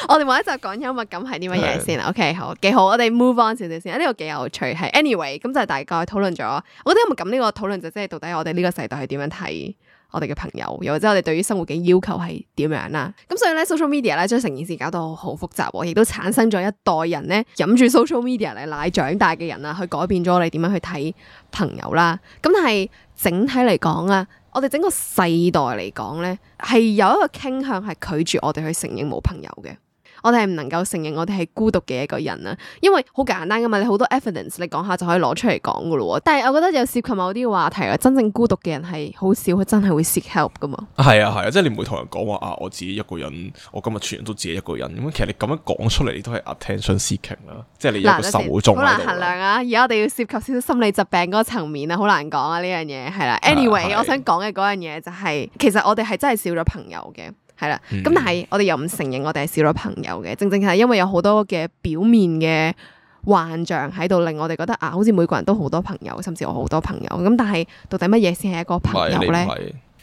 我哋揾一集講幽默感係啲乜嘢先啦 ？OK， 好，幾好。我哋 move on 少少先，呢、這個幾有趣。係 anyway，咁就大概討論咗。我覺得幽默感呢個討論就即係到底我哋呢個世代係點樣睇我哋嘅朋友，又或者我哋對於生活嘅要求係點樣啦。咁所以咧 social media 咧將成件事搞到好複雜，亦都產生咗一代人咧飲住 social media 嚟奶長大嘅人啊，去改變咗我哋點樣去睇朋友啦。咁但係整體嚟講啊，我哋整個世代嚟講咧，係有一個傾向係拒絕我哋去承認冇朋友嘅。我哋係唔能夠承認我哋係孤獨嘅一個人啊，因為好簡單噶嘛，你好多 evidence 你講下就可以攞出嚟講噶咯。但係我覺得有涉及某啲話題啊，真正孤獨嘅人係好少，佢真係會 seek help 噶嘛。係啊係啊，即係你唔會同人講話啊，我自己一個人，我今日全日都自己一個人。咁其實你咁樣講出嚟，你都係 attention seeking 啦，即係你有個受眾。好難衡量啊！而家我哋要涉及少少心理疾病嗰個層面啊，好難講啊呢樣嘢係啦。Anyway，我想講嘅嗰樣嘢就係、是，其實我哋係真係少咗朋友嘅。係啦，咁、嗯、但係我哋又唔承認我哋係少咗朋友嘅，正正係因為有好多嘅表面嘅幻象喺度，令我哋覺得啊，好似每個人都好多朋友，甚至我好多朋友。咁但係到底乜嘢先係一個朋友咧？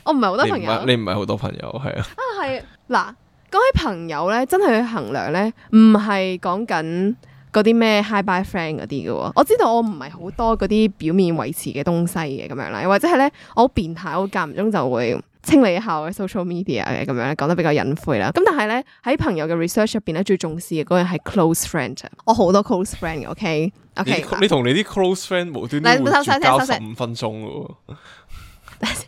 我唔係好多朋友，你唔係好多朋友，係啊。啊係嗱，講起朋友咧，真係去衡量咧，唔係講緊嗰啲咩 hi bye friend 嗰啲嘅。我知道我唔係好多嗰啲表面維持嘅東西嘅咁樣啦，或者係咧我好變態，我間唔中就會清理一下我嘅 social media 嘅咁樣，講得比較隱晦啦。咁但係咧喺朋友嘅 research 入邊咧，最重視嘅嗰樣係 close friend。我好多 close friend 嘅，OK OK 你。你同你啲 close friend 無端端會絕交十五分鐘嘅喎。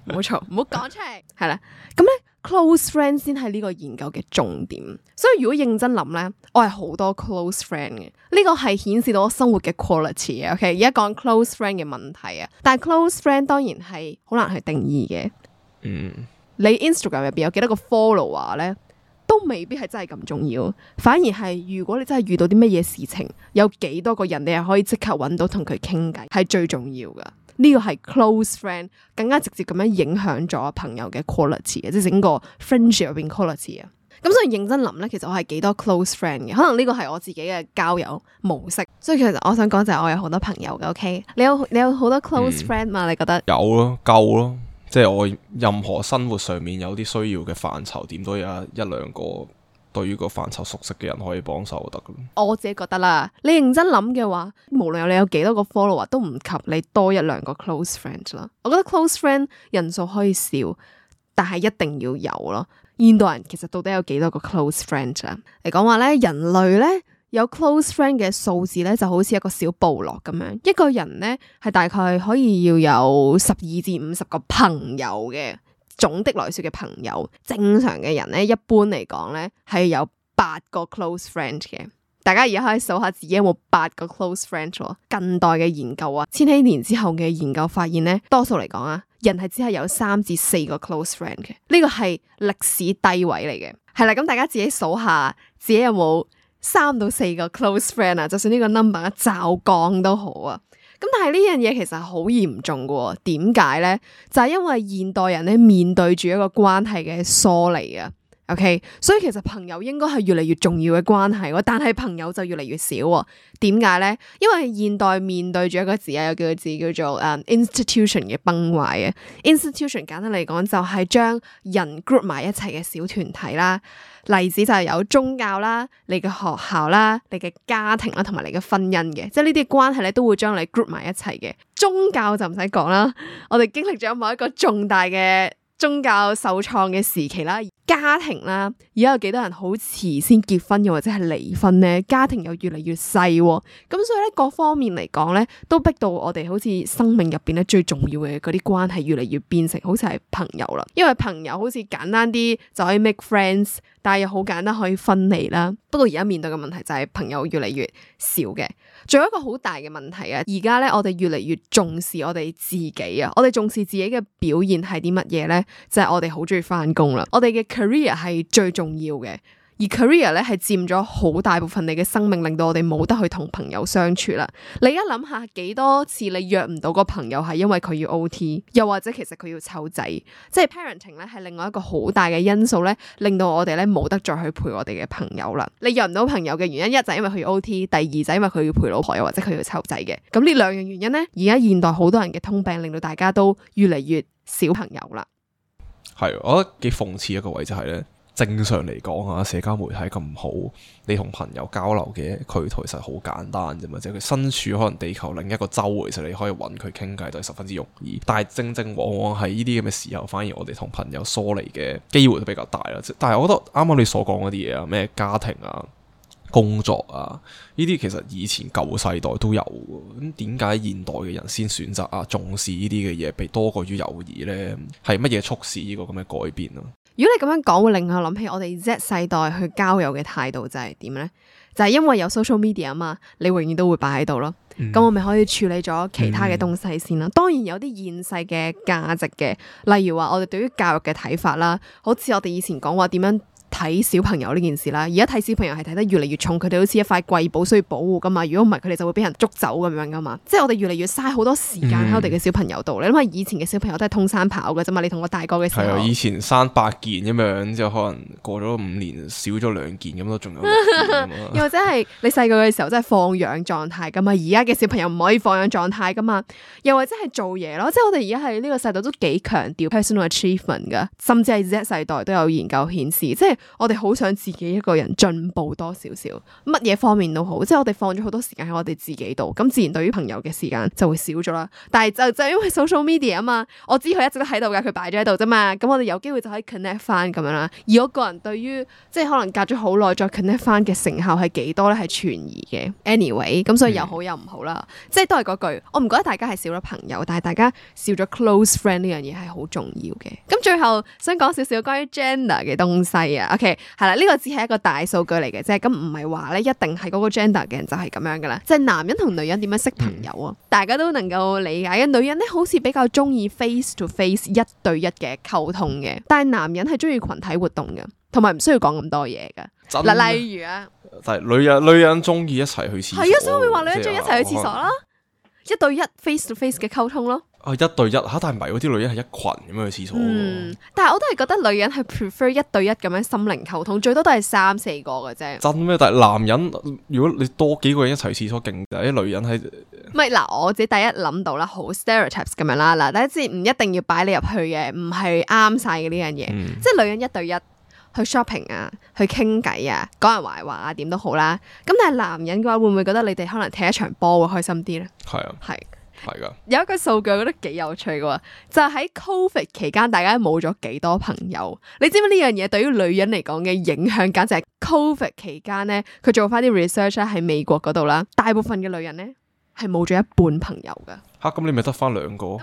冇錯，唔好講出嚟。係啦，咁咧 close friend 先係呢個研究嘅重點。所以如果認真諗咧，我係好多 close friend 嘅。呢個係顯示到我生活嘅 quality 啊。OK，而家講 close friend 嘅問題啊，但係 close friend 當然係好難去定義嘅。嗯，你 Instagram 入邊有幾多個 follower 咧？都未必係真係咁重要，反而係如果你真係遇到啲乜嘢事情，有幾多個人你係可以即刻揾到同佢傾偈，係最重要噶。呢個係 close friend 更加直接咁樣影響咗朋友嘅 quality 嘅，即係整個 friendship 入邊 quality 啊。咁所以認真諗咧，其實我係幾多 close friend 嘅，可能呢個係我自己嘅交友模式。所以其實我想講就係我有好多朋友嘅 ，OK？ 你有你有好多 close friend 嘛？嗯、你覺得？有咯，夠咯。即係我任何生活上面有啲需要嘅範疇，點都有一兩個對於個範疇熟悉嘅人可以幫手就得噶。我自己覺得啦，你認真諗嘅話，無論你有幾多個 follower，都唔及你多一兩個 close friend 啦。我覺得 close friend 人數可以少，但係一定要有咯。現代人其實到底有幾多個 close friend 啊？嚟講話咧，人類咧有 close friend 嘅數字咧，就好似一個小部落咁樣。一個人咧係大概可以要有十二至五十個朋友嘅，總的來說嘅朋友。正常嘅人咧，一般嚟講咧係有八個 close friend 嘅。大家而家可以數下自己有冇八個 close friend 喎。近代嘅研究啊，千禧年之後嘅研究發現咧，多數嚟講啊，人係只係有三至四個 close friend 嘅。呢個係歷史低位嚟嘅。係啦，咁大家自己數下自己有冇三到四個 close friend 啊？就算呢個 number 驟降都好啊。咁但係呢樣嘢其實好嚴重嘅。點解咧？就係因為現代人咧面對住一個關係嘅疏離啊。OK， 所以其實朋友應該係越嚟越重要嘅關係，但係朋友就越嚟越少。點解咧？因為現代面對住一個字啊，有幾個字叫做誒、um, institution 嘅崩壞啊。institution 簡單嚟講就係將人 group 埋一齊嘅小團體啦。例子就係有宗教啦、你嘅學校啦、你嘅家庭啦，同埋你嘅婚姻嘅，即係呢啲關係咧都會將你 group 埋一齊嘅。宗教就唔使講啦，我哋經歷咗某一個重大嘅宗教受創嘅時期啦。家庭啦，而家有幾多人好遲先結婚又或者係離婚咧？家庭又越嚟越細，咁所以咧各方面嚟講咧，都逼到我哋好似生命入邊咧最重要嘅嗰啲關係越嚟越變成好似係朋友啦。因為朋友好似簡單啲就可以 make friends，但係又好簡單可以分離啦。不過而家面對嘅問題就係朋友越嚟越少嘅。仲有一個好大嘅問題啊！而家咧我哋越嚟越重視我哋自己啊！我哋重視自己嘅表現係啲乜嘢咧？就係我哋好中意翻工啦，我哋嘅career 係最重要嘅，而 career 咧係佔咗好大部分你嘅生命，令到我哋冇得去同朋友相處啦。你而家諗下幾多次你約唔到個朋友係因為佢要 O T， 又或者其實佢要湊仔，即係 parenting 咧係另外一個好大嘅因素咧，令到我哋咧冇得再去陪我哋嘅朋友啦。你約唔到朋友嘅原因，一就係因為佢要 O T， 第二就係因為佢要陪老婆，又或者佢要湊仔嘅。咁呢兩樣原因咧，而家現代好多人嘅通病，令到大家都越嚟越少朋友啦。係，我覺得幾諷刺一個位就係咧，正常嚟講啊，社交媒體咁好，你同朋友交流嘅渠道其實好簡單啫嘛，即係佢身處可能地球另一個洲，其實你可以揾佢傾偈都係十分之容易。但係正正往往係呢啲咁嘅時候，反而我哋同朋友疏離嘅機會都比較大啦。但係我覺得啱啱你所講嗰啲嘢啊，咩家庭啊、工作啊，呢啲其實以前舊世代都有嘅。咁點解現代嘅人先選擇啊重視呢啲嘅嘢，比多過於友誼呢？係乜嘢促使呢個咁嘅改變啊？如果你咁樣講，會令我諗起我哋 Z 世代去交友嘅態度就係點呢？就係、是、因為有 social media 啊嘛，你永遠都會擺喺度咯。咁、嗯、我咪可以處理咗其他嘅東西先啦。嗯、當然有啲現世嘅價值嘅，例如話我哋對於教育嘅睇法啦，好似我哋以前講話點樣睇小朋友呢件事啦，而家睇小朋友係睇得越嚟越重，佢哋好似一塊貴寶需要保護噶嘛，如果唔係佢哋就會俾人捉走咁樣噶嘛，即係我哋越嚟越嘥好多時間喺我哋嘅小朋友度。嗯、你諗下以前嘅小朋友都係通山跑嘅啫嘛，你同我大個嘅時候，係啊，以前生八件咁樣，之後可能過咗五年少咗兩件咁都仲有六件又或者係你細個嘅時候真係放養狀態噶嘛，而家嘅小朋友唔可以放養狀態噶嘛，又或者係做嘢咯，即係我哋而家係呢個世代都幾強調 personal achievement 噶，甚至係 Z 世代都有研究顯示，即係我哋好想自己一個人進步多少少，乜嘢方面都好，即係我哋放咗好多時間喺我哋自己度，咁自然對於朋友嘅時間就會少咗啦。但係就就因為 social media 啊嘛，我知佢一直都喺度噶，佢擺咗喺度啫嘛，咁我哋有機會就可以 connect 翻咁樣啦。而我個人對於即係可能隔咗好耐再 connect 翻嘅成效係幾多咧，係存疑嘅。anyway， 咁所以有好有唔好啦，嗯、即係都係嗰句，我唔覺得大家係少咗朋友，但係大家少咗 close friend 呢樣嘢係好重要嘅。咁最後想講少少關於 gender 嘅東西啊。OK。係啦，呢個只係一個大數據嚟嘅啫，咁唔係話咧一定係嗰個 gender 嘅人就係咁樣噶啦，即係男人同女人點樣識朋友啊？嗯、大家都能夠理解嘅。女人咧好似比較中意 face to face 一對一嘅溝通嘅，但係男人係中意群體活動嘅。同埋唔需要講咁多嘢噶。真嗱，例如啊，但係女人女人中意一齊去廁所，係啊，所以咪話女人中意一齊去廁所即係啦，一對一 face to face 嘅溝通咯。啊一對一嚇，但係唔係嗰啲女人係一群咁樣去廁所喎。嗯，但係我都係覺得女人係 prefer 一對一咁樣心靈溝通，最多都係三四個嘅啫。真咩？但係男人如果你多幾個人一齊去廁所勁，但係啲女人係唔係嗱，我自己第一諗到啦，好 stereotypes 咁樣啦。嗱，第一知唔一定要擺你入去嘅，唔係啱晒嘅呢樣嘢。嗯即係女人一對一去 shopping 啊，去傾偈啊，講人壞話啊，點都好啦。咁但係男人嘅話，會唔會覺得你哋可能踢一場波會開心啲咧？係啊係。係㗎。有一個數據我覺得幾有趣嘅喎，就係喺 Covid 期間，大家冇咗幾多朋友。你知唔知呢樣嘢對於女人嚟講嘅影響，簡直係 Covid 期間咧，佢做翻啲 research 咧喺美國嗰度啦，大部分嘅女人咧係冇咗一半朋友㗎。嚇咁你咪得翻兩個？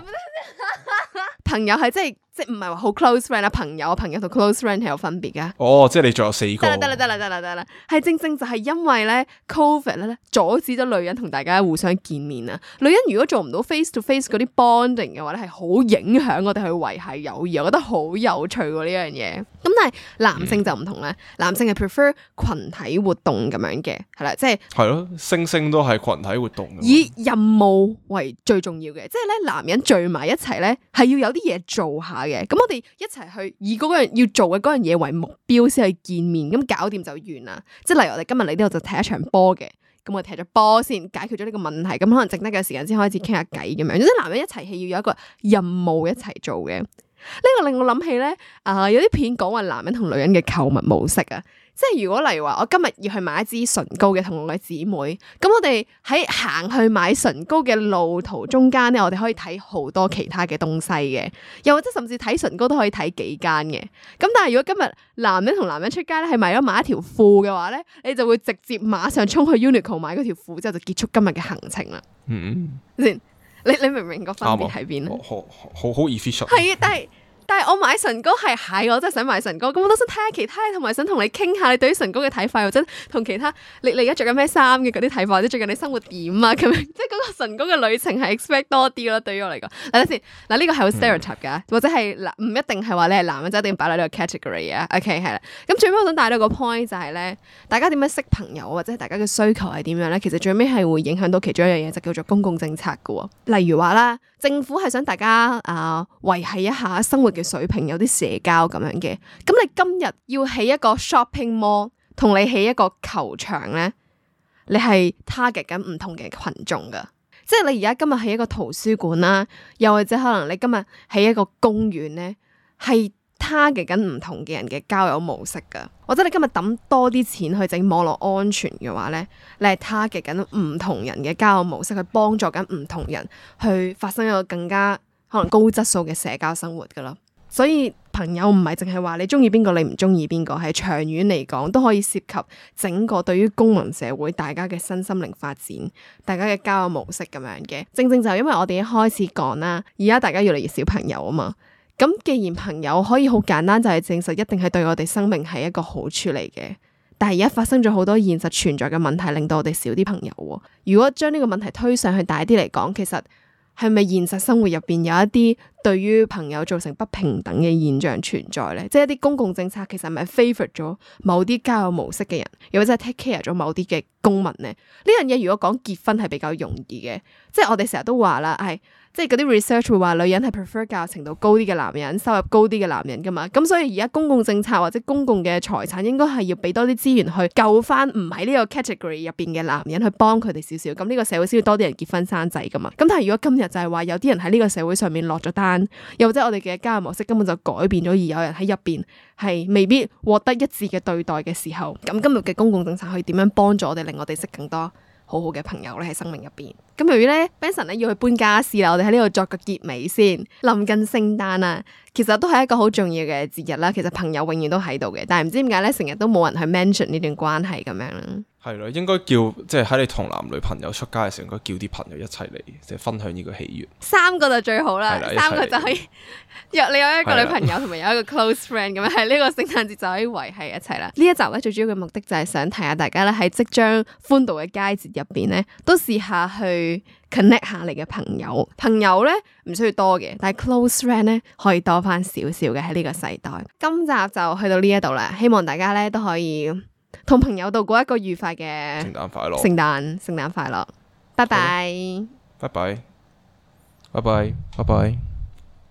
朋友係即係即係唔係話好 close friend 啦，朋友朋友同 close friend 係有分別㗎。哦，即係你仲有四個。得啦得啦得啦得啦得啦，係正正就係因為咧 Covid 咧阻止咗女人同大家互相見面啊！女人如果做唔到 face to face 嗰啲 bonding 嘅話咧，係好影響我哋去維繫友誼，我覺得好有趣喎呢樣嘢。咁但係男性就唔同咧，嗯、男性係 prefer 群體活動咁樣嘅，係啦，即係係咯，星星都係群體活動。以任務為最重要嘅，即係咧男人聚埋一齊咧係要有啲嘢做下嘅，咁我哋一齊去以嗰樣要做嘅嗰樣嘢為目標先去見面，咁搞掂就完啦。即係例如我哋今日嚟呢度就踢一場波嘅，咁我哋踢咗波先解決咗呢個問題，咁可能剩低嘅時間先開始傾下偈咁樣。即係男人一齊係要有一個任務一齊做嘅。呢個令我諗起咧，啊、呃、有啲片講話男人同女人嘅購物模式啊。即係如果例如話我今日要去買一支唇膏嘅，同我嘅姊妹，咁我哋喺行去買唇膏嘅路途中間咧，我哋可以睇好多其他嘅東西嘅，又或者甚至睇唇膏都可以睇幾間嘅。咁但係如果今日男人同男人出街咧，係買咗買一條褲嘅話咧，你就會直接馬上衝去 Uniqlo 買嗰條褲之後就結束今日嘅行程啦。嗯，先，你你明唔明個分別喺邊咧？好好好 efficient。係啊，但係。但係我買唇膏係係我真係想買唇膏，咁我都想睇下其他，同埋想同你傾下你對於唇膏嘅睇法，或者同其他你你而家着緊咩衫嘅嗰啲睇法，或者最近你生活點啊咁樣，即係嗰個唇膏嘅旅程係 expect 多啲咯。對於我嚟講，嗱等先，嗱呢個係好 stereotype 噶，或者係嗱唔一定係話你係男人就一定擺喺呢個 category 啊。OK 係啦，咁最尾我想帶到個 point 就係咧，大家點樣識朋友或者大家嘅需求係點樣咧？其實最尾係會影響到其中一樣嘢，就叫做公共政策噶。例如話啦，政府係想大家啊維繫一下生活嘅水平，有啲社交咁樣嘅，咁你今日要起一個 shopping mall，同你起一個球場咧，你係 target 緊唔同嘅群眾噶，即係你而家今日起一個圖書館啦，又或者可能你今日起一個公園咧，係 target 緊唔同嘅人嘅交友模式噶，或者你今日抌多啲錢去整網絡安全嘅話咧，你係 target 緊唔同人嘅交友模式，去幫助緊唔同人去發生一個更加可能高質素嘅社交生活噶啦。所以朋友唔係淨係話你中意邊個，你唔中意邊個，係長遠嚟講都可以涉及整個對於公民社會大家嘅身心靈發展，大家嘅交友模式咁樣嘅。正正就係因為我哋一開始講啦，而家大家越嚟越少朋友啊嘛。咁既然朋友可以好簡單就係證實一定係對我哋生命係一個好處嚟嘅，但係而家發生咗好多現實存在嘅問題，令到我哋少啲朋友喎。如果將呢個問題推上去大啲嚟講，其實係咪現實生活入邊有一啲對於朋友造成不平等嘅現象存在咧？即係一啲公共政策其實係咪 favour 咗某啲交友模式嘅人，又或者係 take care 咗某啲嘅公民咧？呢樣嘢如果講結婚係比較容易嘅，即係我哋成日都話啦，係即係嗰啲 research 會話女人係 prefer 教育程度高啲嘅男人，收入高啲嘅男人噶嘛。咁所以而家公共政策或者公共嘅財產應該係要俾多啲資源去救翻唔喺呢個 category 入邊嘅男人，去幫佢哋少少。咁呢個社會先要多啲人結婚生仔噶嘛。咁但係如果今日就係話有啲人喺呢個社會上面落咗單，又或者我哋嘅交友模式根本就改變咗，而有人喺入邊係未必獲得一致嘅對待嘅時候，咁今日嘅公共政策可以點樣幫助我哋，令我哋識更多好好嘅朋友咧喺生命入邊？咁由於咧 Benson 咧要去搬家私啦，我哋喺呢度作個結尾先。臨近聖誕啊，其實都係一個好重要嘅節日啦。其實朋友永遠都喺度嘅，但係唔知點解咧，成日都冇人去 mention 呢段關係咁樣啦。係咯，應該叫即係喺你同男女朋友出街嘅時候，應該叫啲朋友一齊嚟，即係分享呢個喜悅。三個就最好啦，係啦三個就可以約你有一個女朋友係啦同埋有一個 close friend 咁樣，喺呢個聖誕節就可以維係一齊啦。呢一集咧最主要嘅目的就係想提下大家咧喺即將歡度嘅佳節入邊咧，都試下去 connect 下你嘅朋友。朋友咧唔需要多嘅，但係 close friend 咧可以多翻少少嘅喺呢個世代。今集就去到呢一度啦，希望大家咧都可以同朋友度過一個愉快嘅聖誕快樂，聖誕聖誕快樂，拜拜。拜拜，拜拜，拜拜。